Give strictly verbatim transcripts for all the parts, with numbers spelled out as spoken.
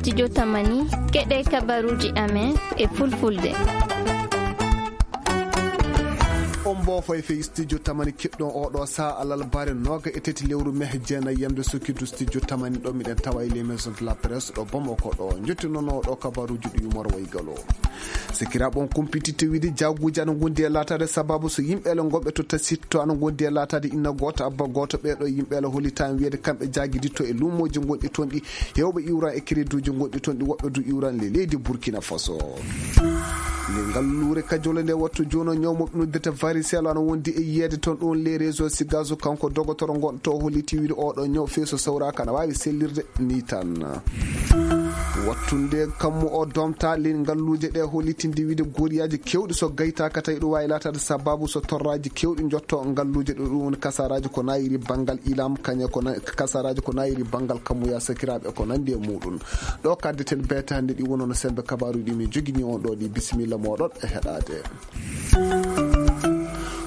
Studio Tamani, keɗee kabaruuji amen e fulfulde. On mboofoy fey studio Tamani keɗɗon oo ɗoo sahaa alarbaare nooga e tati lewru mehe jeenay yamde sokkidu studio Tamani ɗo miɗen tawa e les maisons de la presse ɗo Bamako ɗo. Njotti noon oo ɗoo kabaruuji ɗi yumor way galo. Sikiraaɓe on kumpititte wiide jaaguuji ana ngondi e laataade sababu so yimɓeele ngonɓe to Tasit to ana ngondi e laataade inna gooto abba gooto. Ɓee ɗoo yimɓeele hollitaama wiyeede kamɓe jaagiditto e luumooji ngonɗi toon ɗi heewɓe iwran e créduuji ngonɗi toon ɗi woɓɓe du iwran le leydi Burkina Faso. Nde ngalluure kajole nde wattu jooni o ñaw mo ɓe noddirta varisel ana wondi e yiyeede toon ɗoon le réseau sigaso kanko dogotoro ngonɗo to holliti wiide oo ɗoo ñaw fey so sawraaka ana waawi sellirde ni tan. Wattunde kammu o domta ley ngalluuje ɗe hollitinde wiide goriyaaji keewɗi so gaytaaka tawi ɗum waawi laataade sababu so torraaji keewɗi njotto ngalluuje ɗo ɗum woni kasaraaji ko naayiri banngal ilam kañe ko na- kasaraaji ko naayiri banngal kammuya sakiraaɓe ko nanndi e muɗum. Ɗo kaddeten beetaande ɗi wonono sembe kabaaruuji ɗi min jogini on ɗo ɗi bisimilla mooɗon e heɗaade.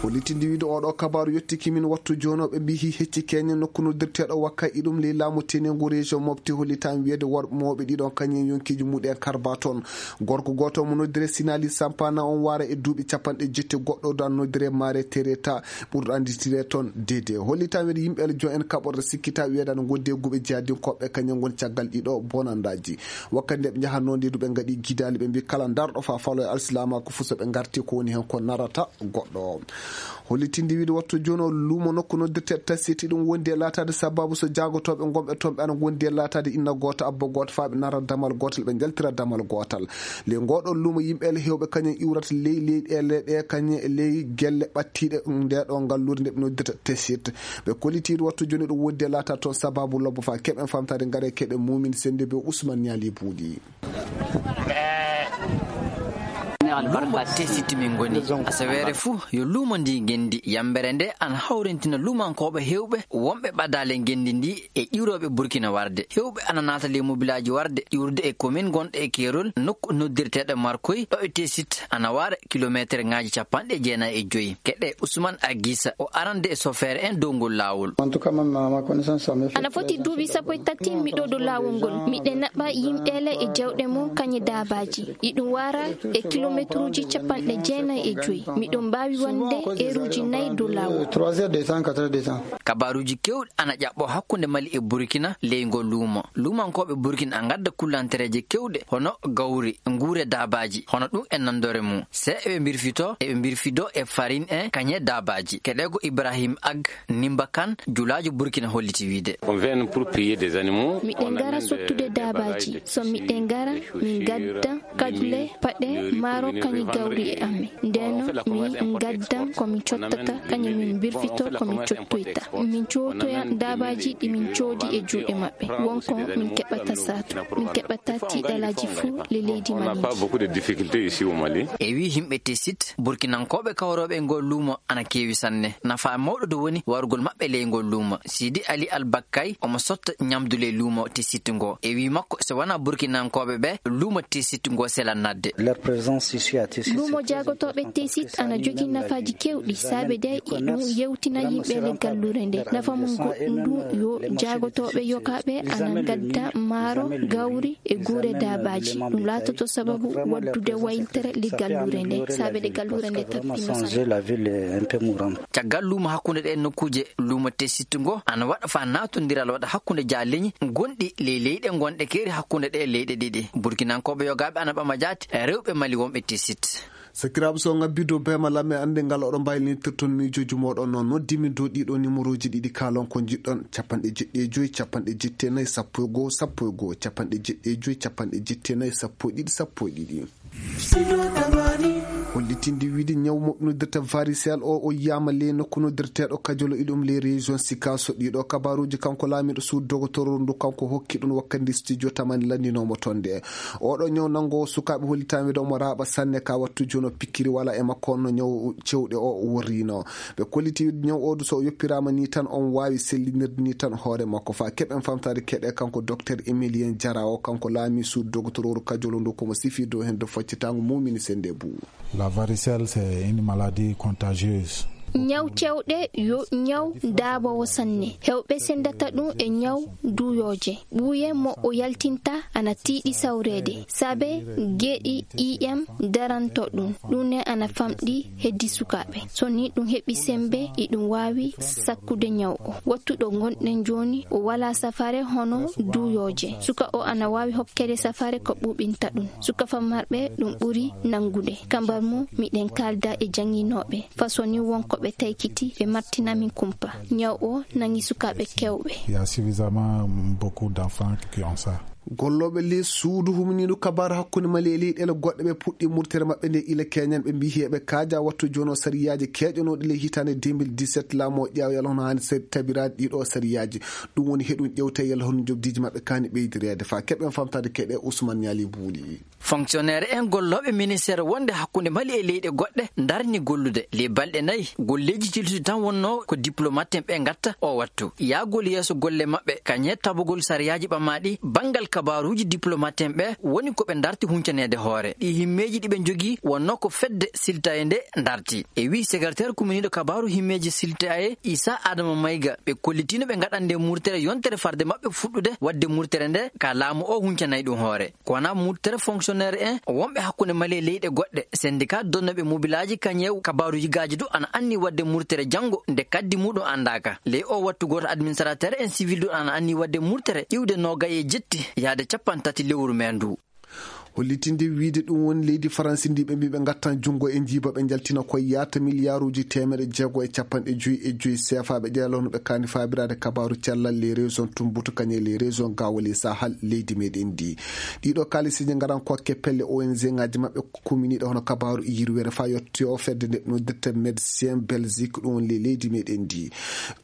Hollitinde wiide oo ɗoo kabaaru yottiki min wattu jooni o ɓe mbiyi hecci keñe nokku noddirteeɗo wakka iɗum ley laamu tenengu région mofti hollitaama wiyeede worɓe mawɓe ɗiɗon kañum yonkiiji muɗen karba toon. Gorko gooto mo noddire sinali sampana on waara e duuɓi capanɗe jetti goɗɗo dan noddire maare tereta ɓurɗo annditire toon dede hollitaama wiyeede yimɓe aljon en kaɓorɗe sikkita wiyeede ana ngondi e guuɓe jihadinkooɓe kañum ngoni caggal ɗiɗo bonandaaji. Wakkati nde ɓe njahatnoo nde du ɓe ngaɗi gidaali ɓe mbi kala ndarɗo faa falo e alsilaamaaku fuu so ɓe ngarti ko woni heen ko narata goɗɗo. Hollitinde wiide wattu jooni o luumo nokku noddirte tasiti ɗum wondi e laataade sababu so jaagotooɓe ngonɓe toon ɓe ana ngondi e laataade inna gooto abba gooto faa ɓe nara damal gootal ɓe njaltira damal gootal. Ley ngooɗoo luumo yimɓe ele heewɓe kañum iwrata ley leyɗeele ɗe kañum e ley gelle ɓattiiɗe ndeeɗoo ngalluure nde ɓe noddirta tesit. Ɓe kollitiiɗo wattu jooni ɗum wondi e laataade toon sababu lobbo faa keɓen famtaade ngare keɓe muumin sennde be usman ñaali buuɗi. Luumo tesiti min ngoni asaweere fuu yo luumo ndi ngenndi yambere nde ana hawrintina luumankooɓe heewɓe wonɓe ɓadaale ngenndi ndi e ƴiwrooɓe burkina warde heewɓe ana naata ley mobilaaji warde ƴiwrude e komin gonɗo e keerol nokku noddirteeɗo markoy ɗo e tesit ana waara kilomeeterŋaaji capanɗe jeenayi e joyi keɗe usman agisa o arande e sofeere en dow ngol laawol. Ana foti duuɓi sappo e tati miɗo dow laawol ngol miɗen naɓa yimɓeele e jawɗe mum kañe daabaaji iɗum waara e kilomeetruuji capanɗe jeenayi e joyi miɗo mbaawi wonde eeruuji nayi dow laawol. Kabaaruuji keewɗi ana ƴaɓɓoo hakkunde mali e burkina ley ngoo luumo luumankooɓe burkina a ngadda kullantereeje keewɗe hono gawri nguure daabaaji hono ɗum e nanndore mum. Se eɓe mbirfitoo eɓe mbirfidoo e farin en kañe daabaaji keɗee ko ibrahim ag nimba kan julaajo burkina holliti wiide. Miɗen ngara sottude daabaaji so miɗen ngara min ngadda kaƴle paɗe maaro kañe gawri e amen. Ndeno min ngaddan ko min cottata kañe min mbirfitoo ko min cottoyta min cootoya daabaaji ɗi min coodi e juuɗe maɓɓe won ko min keɓata saatu min keɓata tiiɗalaaji fuu le leydi mali ndi. E wii yimɓe tesit burkinankooɓe kawrooɓe e ngol luumo ana keewi sanne nafaa mawɗo du woni warugol maɓɓe ley ngol luumo siidi ali albakkay omo sotta ñamdu ley luumo tesit ngoo e wii makko so wanaa burkinankooɓe ɓee luumo tesit ngoo selan naatde. Luumo jaagotooɓe tesit ana jogii nafaaji keewɗi saabe de iɗum yewtina yimɓe le galluure nde nafa mum goɗɗum du yo jaagotooɓe yokaaɓe ana ngadda maaro gawri e guure daabaaji ɗum laatoto sababu waddude wayltere le galluure nde saabe ɗe galluure nde tappino sanne. Caggal luumo hakkunde ɗee nokkuuje luumo tesit ngoo ana waɗa faa naatondiral waɗa hakkunde jaaleñi gonɗi ley leyɗe ngonɗe keeri hakkunde ɗee leyɗe ɗiɗi burkinankooɓe yogaaɓe ana ɓama jaati rewɓe mali wonɓe tesit. Sakiraaɓe so on ngabbii dow beema lam e annde ngal oɗo mbaylinitirton miijooji mooɗon noon noddimin dow ɗiɗo nimorooji ɗiɗi kaalon ko njiɗɗon capanɗe jeɗɗi e joyi capanɗe jetti e nayi sappo e goo sappo e goo capanɗe jeɗɗi e joyi capanɗe jetti e nayi sappo e ɗiɗi sappo e ɗiɗi. Hollitinde wiide ñaw moɓe noddirta varisel o o yiyaama ley nokku noddirteeɗo kajolo iɗum ley région sikaso ɗiɗo kabaruuji kanko laamiiɗo suudu dogotoro ndu kanko hokki ɗum wakkati ndi studio tamani lanndinoomo toon nde. Oɗo ñaw nanngoowo sukaaɓe hollitaama wiide omo raaɓa sanne ka wattu jooni o pikkiri wala e makko honno ñaw cewɗe o worriino. Ɓe kolliti wiide ñaw oo du so o yoppiraama nii tan omo waawi sellinirde nii tan hoore makko faa keɓen famtaade keɗe kanko dokter emilien jara o kanko laamii suudu dogotorooru kajolo ndu komo sifii dow heen dow faccitaango muumini sennde buu. La varicelle c'est une maladie contagieuse. Ñaw cewɗe yo ñaw daaboowo sanne. Heewɓe senndata ɗum e ñaw duuyooje. Ɓuuye mo o yaltinta ana tiiɗi sawreede. Saabe geɗi ƴiiƴam daranto ɗum. Ɗum ne ana famɗi heddi sukaaɓe. So ni ɗum heɓi semmbe, iɗum waawi sakkude ñaw o. Wattu ɗo ngonɗen jooni, o walaa safaare hono duuyooje. Suka o ana waawi hokkede safaare ko ɓuuɓinta ɗum. Suka famarɓe ɗum ɓuri nanngude. Kambar mum, miɗen kaalda e jannginooɓe. Façon ni won ko ɓe taykiti, ɓe martina min kumpa. Ñaw o nangi sukaaɓe keewɓe. Il y a suffisamment beaucoup d'enfants qui ont ça. Gollooɓe ley suudu humniiɗo kabaaru hakkunde Mali e leyɗeele goɗɗe ɓe puɗɗii murtere maɓɓe nde ila keñan ɓe mbii heɓe kaaja wattu jono sariyaaji keeƴanooɗi ley hitaande deux mille dix-sept laamu o ƴeewa yalla hono haani sar-, tabiraade ɗiɗo sariyaaji. Ɗum woni heɗum ƴewte yalla hono njoɓdiiji maɓɓe kaani ɓeydireede faa keɓen famtaade keɗe Ousmane Niali Buuli. Fonctionnaire en gollooɓe ministère wonde hakkunde Mali e leyɗe goɗɗe ndarni gollude. Ley balɗe nayi, golleeji tilsuɗi tan wonnoo ko diplomate en ɓe ngatta oo wattu. Yaagol yeeso golle maɓɓe, kañe tabugol sariyaaji ɓamaaɗi banngal kabaaruuji diplomate en ɓe woni ko ɓe ndarti huncaneede hoore. Ɗii himmeeji ɗi ɓe njogii wonnoo ko fedde siltaye nde ndarti. E wii secrétaire kuminiiɗo kabaaru himmeeji siltaye Issa Adama Mayga, ɓe kollitiino ɓe ngaɗande murtere yontere farde maɓɓe fuɗɗude waɗde murtere nde ka laamu o huncanay ɗum hoore. Ko wanaa murtere fonctionnaire en wonɓe hakkunde Mali e leyɗe goɗɗe. Syndicat donnooɓe mobilaaji kañe kabaaru yigaaji du ana anni waɗde murtere janngo nde kaddi muɗum anndaaka. Ley o wattu gooto administrateur en civil du ana anni waɗde murtere iwde noogay e jetti yaade cappanɗe tati lewru mee ndu. Hollitinde wiide ɗum woni leydi Faransi ndi ɓe mbii ɓe ngattan junngo e njiiba ɓe njaltina ko yaata miliyaaruuji teemedde jeego e cappanɗe joyi e joyi seefa ɓe ƴeela hono ɓe kaani faabiraade kabaaru cellal ley région Tumbutu kañe ley région Gawale Sahal leydi meɗen ndi. Ɗiɗo kaalisiiji ngaran kokke pelle O N G ŋaaji maɓɓe kuminiiɗe hono kabaaru yirwere faa yotto fedde nde noddirte Médecins Belgique ɗum woni ley leydi meɗen ndi.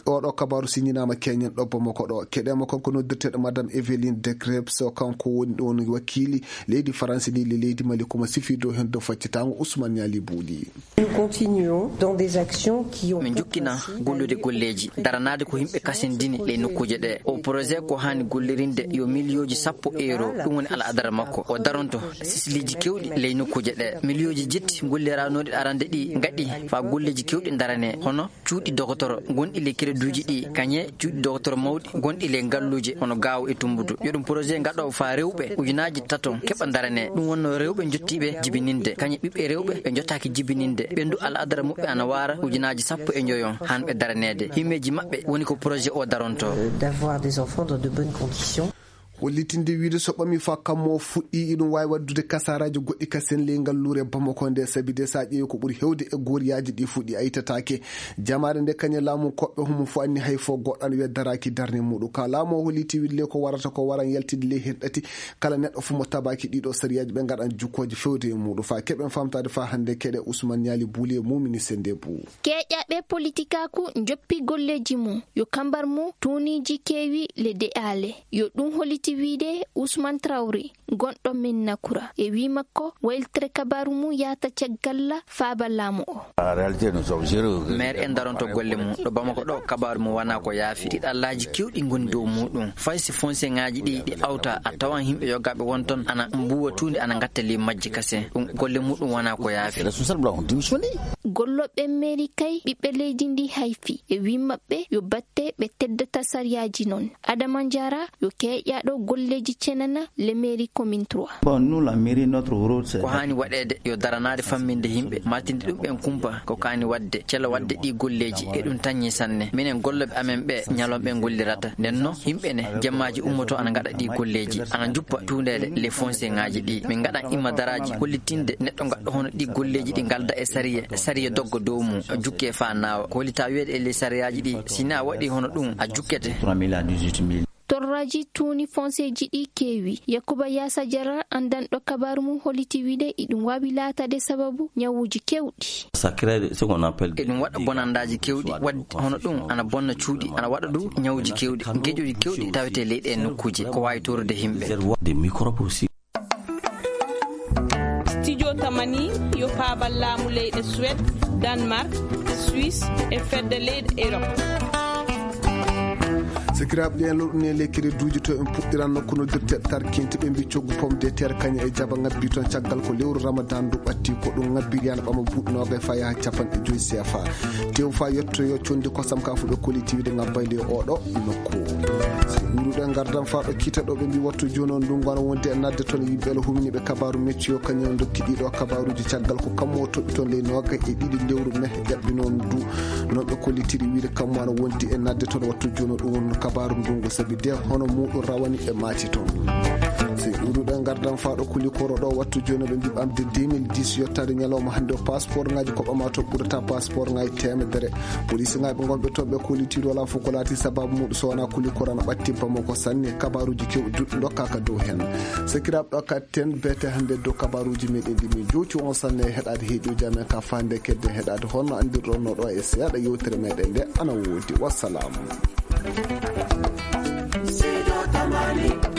Oɗo kabaaru siñinaama keñen ɗo Bamako ɗo. Keɗeema kanko noddirteeɗo Madame Evelyne de Krebs, o kanko woni ɗon wakiili leydi Faransi ndi le leydi Mali, ko mo sifii dow hen dow faccitaango Ousmane Niali Buuli. Nous continuons dans des actions qui ont Min njokkina gollude golleeji, daranaade ko yimɓe kasindini ley nokkuuje ɗe. O projet ko haani gollirinde yo miliyooji sappo euro, ɗum woni al'adara makko. O daronto sisliiji keewɗi ley nokkuuje ɗe. Miliyooji jetti golliranooɗi arande ɗi ngaɗi faa golleeji keewɗi darane, hono cuuɗi dogotoro gonɗi ley kereduuji ɗi, kañe cuuɗi dogotoro mawɗi gonɗi ley ngalluuje hono Gaawo e Tumbutu. Yo ɗum projet ngaɗo faa rewɓe ujunaaji taton keɓa darane. Ɗum wonno rewɓe njottiiɓe jibininde, kañe ɓiɓɓe rewɓe ɓe njotaaki jibininde. Ɓe ndu al'adara muɓɓe ana waara ujunaaji sappo e njoyon han ɓe daraneede. Himmeeji maɓɓe woni ko projet o daronto. Euh, d'avoir des enfants dans de bonnes conditions. Hollitinde wiide so ɓami faa kammu o fuɗɗii, iɗum waawi waɗdude kasaaraaji goɗɗi kasen ley ngalluure Bamako nde, sabi de so a ƴeewi ko ɓuri heewde e goriyaaji ɗi fuɗɗii a yitataake. Jamaare nde kañe laamu koɓɓe homo fof anni hay fof goɗɗo ana wiya daraaki darnde muɗum. Ka laamu o holliti wiide le ko warata ko waran yaltinde ley hen ɗati kala neɗɗo fof mo tabaaki ɗiɗo sariyaaji ɓe ngaɗan jukkooje fewde e muɗum. Faa keɓen famtaade faa hannde keɗe Ousmane Niali Buuli e mumini sende buu. Keeƴaɓe politikaaku njoppi golleeji mum, yo kambar mum tuuniiji keewi le de'aale. Yo ɗum holliti wiide Ousmane Traoré, gonɗo Médina Kura. E wii makko, wayltere kabaaru mum yaata caggal faaba laamu o. En réalité, nous sommes heureux. Maire en daronto golle mum. Ɗo Bamako ɗo, kabaaru mum wanaa ko yaafi. Tiiɗallaaji keewɗi ngoni dow muɗum. Fay si fonseŋaaji ɗi, ɗi awta, a tawan yimɓe yogaaɓe won ton ana mbuuwa tuundi ana ngatta ley majji kasen. Ɗum golle muɗum wanaa ko yaafi. Responsable on démissionné. Gollooɓe mairie kay, ɓiɓɓe leydi ndi hayfi. E wii maɓɓe yo batte ɓe teddata sariyaaji non. Adama Diarra yo keeƴaaɗo golleeji cenana le mairie commune trois. Bon, nous, la mairie, notre rôle, c'est... Ko haani waɗeede yo daranaade famminde yimɓe, martinde ɗum ɓen kumpa, ko kaani waɗde, celo waɗde ɗii golleeji, e ɗum tañi sanne. Minen gollooɓe amen ɓe, ñalawma ɓe ngollirata. Nden non, yimɓe ne, jemmaaji ummoto ana ngaɗa ɗii golleeji, ana njuppa tuundeede le fonseŋaaji ɗi. Min ngaɗan imma daraaji hollitinde neɗɗo ngaɗɗo hono ɗii golleeji ɗi ngalda e sariya, sariya dogga dow mum, jukkee faa naawa. Ko hollitaa wiyeede e ley sariyaaji ɗi, si ni a waɗii hono ɗum, a jukkete. Trois mille à dix-huit mille. Torraaji tuuni fonseeji ɗi keewi. Yakuba Yaasa Jara, anndanɗo kabaaru mum, holliti wiide iɗum waawi laataade sababu ñawuuji keewɗi. Ça crée ce qu'on appelle... Eɗum waɗa bonandaaji keewɗi, waɗde hono ɗum ana bonna cuuɗi, ana waɗa du ñawuuji keewɗi, geƴuuji keewɗi tawetee ley ɗee nokkuuje, ko waawi toorude yimɓe. Des microbes aussi. Studio Tamani yo paabal laamu leyɗe Suède, Danemark, Suisse e fedde leyɗe Erop. Sakiraaɓe, ɗeen lorɗe ne ley kereduuji to en puɗɗiran nokku noddirteeɗo Tarkinte, ɓe mbii coggu pomme de terre kañum e jaba ŋabbii toon caggal ko lewru Ramadan ndu ɓattii, ko ɗum ŋabbiri yana ɓama buuɗi noogay faa yaha capanɗe joy C F A. Tew faa yettoyoo conndi kosam kaa fof ɓe kollitii wiide ŋabbay ley oo ɗoo nokku. Si ɗuuɗuɗo e ngardan faa ɗo kiita ɗo, ɓe mbii wattu jooni oo ndunngu ana wondi e naatde toon yimɓe ɓe huminiiɓe kabaaru Meteo kañum en ndokki ɗii ɗoo kabaaruuji caggal ko kammu o toɗɗi toon ley noogay e ɗiɗi lewru mee ƴaɓɓinoo ndu. Non ɓe kollitiri wiide kammu ana wondi e naatde toon wattu jooni oo, ɗum woni kabaaru ndunngu sabi de hono muuɗum rawani ɓe maati toon. Si ɗuuɗuɗo e ngardan faa ɗo Kulikoro ɗo wattu jooni oo ɓe mbii ɓamde deux mille dix yottaade ñalawma hannde o passeport ŋaaji ko ɓamaa to ɓurata passeport ŋaaji teemedere. Police ŋaaɓe ngonɓe toon ɓe kollitiri walaa fof ko laati sababu muuɗum so wanaa Kulikoro ana ɓatti Bamako sanne. Kabaaruuji keewɗi duɗɗi ndokkaa ka dow heen. Sakiraaɓe, ɗo ka ten beete hannde dow kabaaruuji meɗen ɗi min jowti on sanne e heɗaade heɗiiɗo amen ka faande kedde heɗaade honno anndirɗon no ɗo e seeɗa yewtere meɗen nde ana woodi. Wassalam. Seydi Tamani.